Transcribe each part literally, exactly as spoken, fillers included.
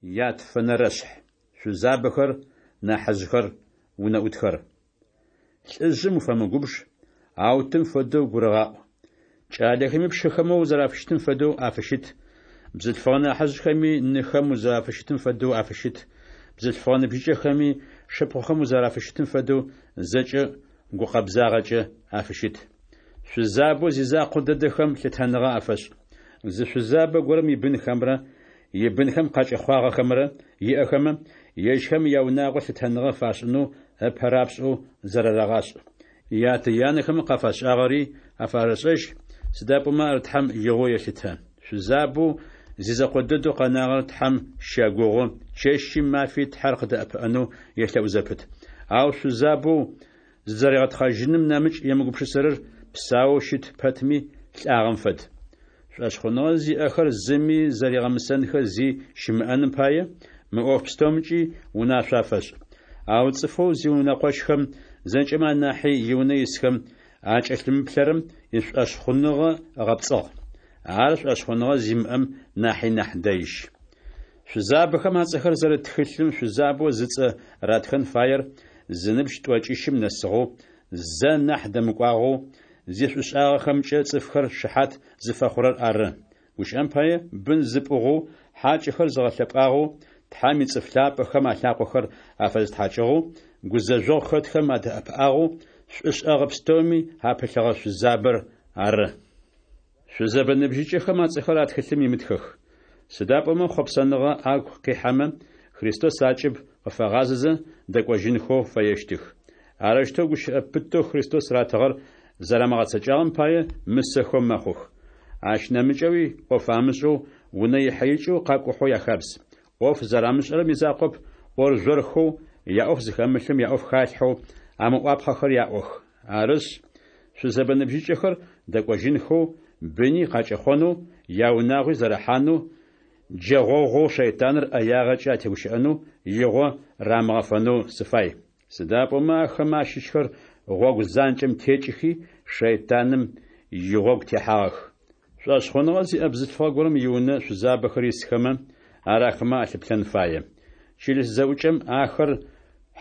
Ятфэнэрэшъхь. Шъузабэхэр, нахьыжъхэр, унэӏутхэр. Лӏыжъым уфэмыгубж, ау тым фэдэу гурыгъаӏу. Кӏалэхэми пшыхэмэ узэрафыщытым фэдэу афыщыт, бзылъфыгъэ нахьыжъхэми ныхэм узэрафыщытым фэдэу афыщыт, бзылъфыгъэ ныбжьыкӏэхэми шыпхъухэм узэрафыщытым фэдэу зэкӏэ гукъэбзагъэкӏэ афыщыт. Шъузабэу зизакъо дэдэхэм лъытэныгъэ афэшӏ. Зы шъузабэ горэм ибынхэмрэ ибынхэм къакӏэхъуагъэхэмрэ иӏэхэмэ, ежьхэм яунагъо лъытэныгъэ фашӏынэу ыпэ рапшӏэу зэрарэгъашӏ. Ятэ-янэхэм къафашӏагъэри афарэшӏэжь, сыда пӏомэ ар Тхьэм игъоу елъытэ. Шъузабэу зизэкъо дэдэу къэнагъэр Тхьэм щэгугъы, чэщи мафи Тхьэр къыдэӏэпыӏэнэу елъэӏу зэпыт. Ау шъузабэу зызэригъэтхъэжьыным нэмыкӏ емыгупшысэрэр псаоу щыт пэтми, лӏагъэм фэд. Шӏошъхъуныгъэ зиӏэхэр зыми зэригъэмысэнхэ зи щымыӏэным пае, мы ӏоф пстэумкӏи унашъо афэшӏ. Ау цӏыфэу зиунэкъощхэм, зэкӏэмэ анахьи иунэ исхэм, акӏэлъымыплъэрэм ишӏошъхъуныгъэ ыгъэпцӏыгъ. Ар шӏошъхъуныгъэ зимыӏэм нахьи нахь дэижь. Шъузабэхэм ацӏэхэр зэрыт тхылъым шъузабэу зыцӏэ ратхэн фаер зыныбжь тӏокӏищым нэсыгъэу, зэ нахь дэмыкӏуагъэу, зишӏушӏагъэхэмкӏэ цӏыфхэр шыхьат зыфэхъурэр ары. Гущыӏэм пае, бын зыпӏугъэу, хьакӏэхэр зыгъэлъэпӏагъэу, Тхьэм ицӏыф лъапӏэхэм алъакъохэр афэзытхьакӏыгъэу, гузэжъогъу хэтхэм адэӏэпыӏагъэу, шӏушӏэгъэ пстэуми апылъыгъэ шъузабэр ары. Шъузэбэ ныбжьыкӏэхэм ацӏэхэр а тхылъым имытхэх. Сыда пӏомэ хъопсэныгъэ агу къихьэмэ, Христос акӏыб къыфагъазэзэ дэкӏожьынхэу фэещтых. Арэущтэу гущыӏэ пытэу Христос ратыгъэр зэрамыгъэцэкӏагъэм пае мысэхэу мэхъух. Ащ нэмыкӏэуи ӏоф амышӏэу, унэ ихьэ-икӏэу къакӏухьэу яхабз. ӏоф зэрамышӏэрэм изакъоп, ӏоржъорхэу, яӏоф зыхэмылъым яӏоф халъхьэу, амыӏуапхъэхэр яӏох. Арышъ, шъузэбэ ныбжьыкӏэхэр дэкӏожьынхэу, быни къакӏэхъонэу, яунагъуи зэрахьанэу, джэгъогъоу шэйтаныр ӏэягъэкӏэ атегущыӏэнэу игъо рамыгъэфэнэу сыфай. Сыда пӏомэ ахэмэ ащыщхэр гъогу занкӏэм текӏыхи, шэйтаным игъогу техьагъэх. Шӏошъхъуныгъэ зиӏэ бзылъфыгъэ горэм иунэ шъузабэхэр исхэмэ, ар ахэмэ алъыплъэн фае. Чылыс зэӏукӏэм ахэр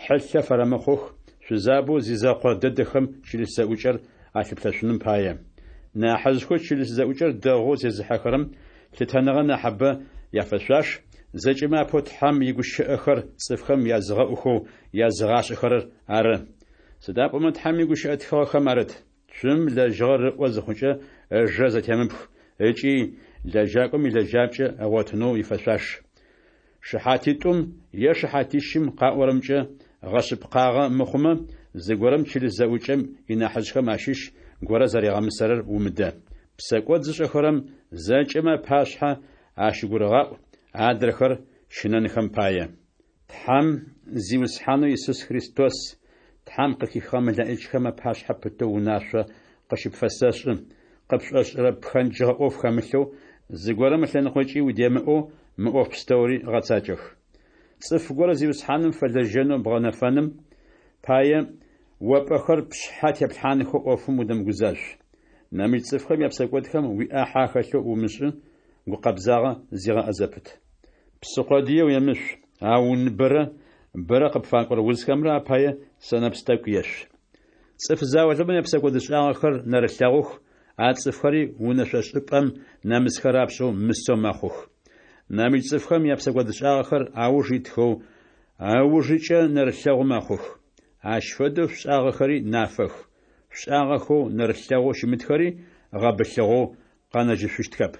хьылъэ фэрэмыхъух, шъузабэу зизэкъо дэдэхэм чылыс зэӏукӏэр алъыплъэшъуным пае. Нахьыжъхэу чылыс зэӏукӏэр дэгъоу зезыхьэхэрэм лъытэныгъэ нахьыбэ яфэшъуаш, зэкӏэмэ апэу Тхьэм игущыӏэхэр цӏыфхэм языгъэӏухэу языгъашӏэхэрэр ары. Сыда пӏомэ Тхьэм игущыӏэ тхыгъэхэм арыт: «Цум лэжьыгъэр ыӏо зыхъукӏэ, ыжэ зэтемыпх» ыкӏи «Лэжьакӏом илэжьапкӏэ ыгъотынэу ифэшъуаш». Шыхьатитӏум е шыхьатищым къаӏорэмкӏэ гъэшъыпкъагъэ мыхъумэ, зыгорэм чылыс зэӏукӏэм инахьыжъхэм ащыщ горэ зэригъэмысэрэр умыдэ. Псэкӏод зышӏэхэрэм зэкӏэмэ апашъхьэ ащыгурыгъаӏу, адрэхэр щынэнхэм пае. Тхьэм, Зиусхьанэу Исус Христос, Тхьэм къыхихыгъэ мэлэӏичхэм апашъхьэ пытэу унашъо къыщыпфэсэшӏы: къыпшӏошӏырэ пхэнджыгъэ ӏоф хэмылъэу, зыгорэм ылъэныкъокӏи удемыӏэу мы ӏоф пстэури гъэцакӏэх. Цӏыф горэ Зиусхьаным фэлэжьэнэу бгъэнэфэным пае, о пӏэхэр пшъхьэ теплъхьанхэу ӏофым удэмыгузажъу. Нэмыкӏ цӏыфхэм япсэкӏодхэм уиӏахьэ ахэлъэу умышӏы, гукъэбзагъэ зигъэӏэ зэпыт. Псы къодые уемышъу, ау уныбэрэ бэрэ къыпфакӏорэ узхэмрэ апае сэнэпс тӏэкӏу ешъу. Цӏыф заулэмэ япсэкӏодышӏагъэхэр нэрылъэгъух, а цӏыфхэри унэшъошӏыпӏэм нэмысхэ рапшӏэу мысэу мэхъух. Нэмыкӏ цӏыфхэм япсэкӏодышӏагъэхэр ауж итхэу, ыужыкӏэ нэрылъэгъу мэхъух. Ащ фэдэу шъушӏагъэхэри нафэх, шъушӏагъэхэу нэрылъэгъоу щымытхэри гъэбылъыгъэу къэнэжьышъущтхэп.